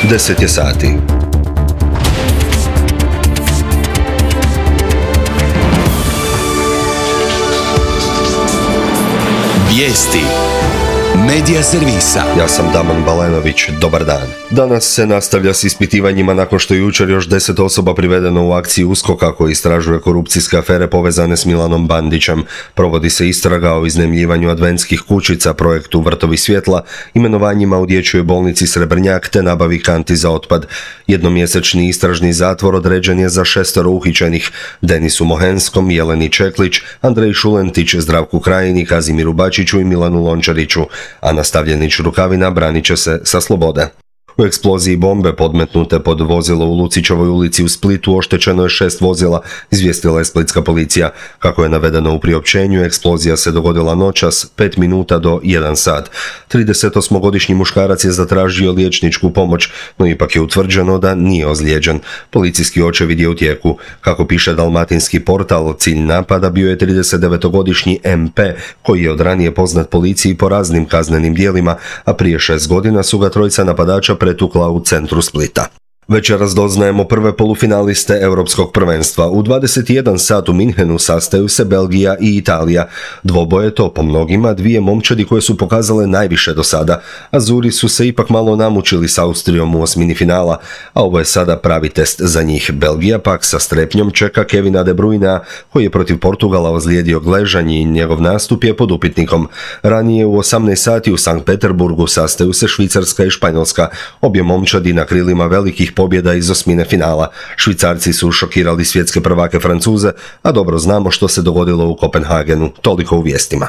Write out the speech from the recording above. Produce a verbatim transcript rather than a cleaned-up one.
deset je sati. Vijesti Medija servisa. Ja sam Daman Balenović, dobar dan. Danas se nastavlja s ispitivanjima nakon što je jučer još deset osoba privedeno u akciji USKOK-a koji istražuje korupcijske afere povezane s Milanom Bandićem. Provodi se istraga o iznajmljivanju adventskih kućica, projektu Vrtovi svjetla, imenovanjima u dječjoj bolnici Srebrnjak te nabavi kanti za otpad. Jednomjesečni istražni zatvor određen je za šestoro uhićenih: Denisu Mohenskom, Jeleni Čeklić, Andreji Šulentić, Zdravku Krajini, Kazimiru Bačiću i Milanu Lončariću, a nastavljenić Rukavina branit će se sa slobode. U eksploziji bombe podmetnute pod vozilo u Lucićevoj ulici u Splitu oštećeno je šest vozila, izvijestila je splitska policija. Kako je navedeno u priopćenju, eksplozija se dogodila noćas, pet minuta do jedan sat. tridesetosmogodišnji muškarac je zatražio liječničku pomoć, no ipak je utvrđeno da nije ozlijeđen. Policijski očevid je u tijeku. Kako piše dalmatinski portal, cilj napada bio je tridesetdevetogodišnji em pe, koji je od ranije poznat policiji po raznim kaznenim djelima, a prije šest godina su ga trojica napadača pretukla u centru Splita. Večeras doznajemo prve polufinaliste Europskog prvenstva. U dvadeset jedan sat u Minhenu sastaju se Belgija i Italija. Dvoboje to po mnogima dvije momčadi koje su pokazale najviše do sada. Azuri su se ipak malo namučili s Austrijom u osmini finala, a ovo je sada pravi test za njih. Belgija pak sa strepnjom čeka Kevina De Bruyna, koji je protiv Portugala ozlijedio gležanj i njegov nastup je pod upitnikom. Ranije u osamnaest sati u Sankt Peterburgu sastaju se Švicarska i Španjolska. Obje momčadi na krilima velikih pobjeda iz osmine finala. Švicarci su šokirali svjetske prvake Francuze, a dobro znamo što se dogodilo u Kopenhagenu. Toliko u vijestima.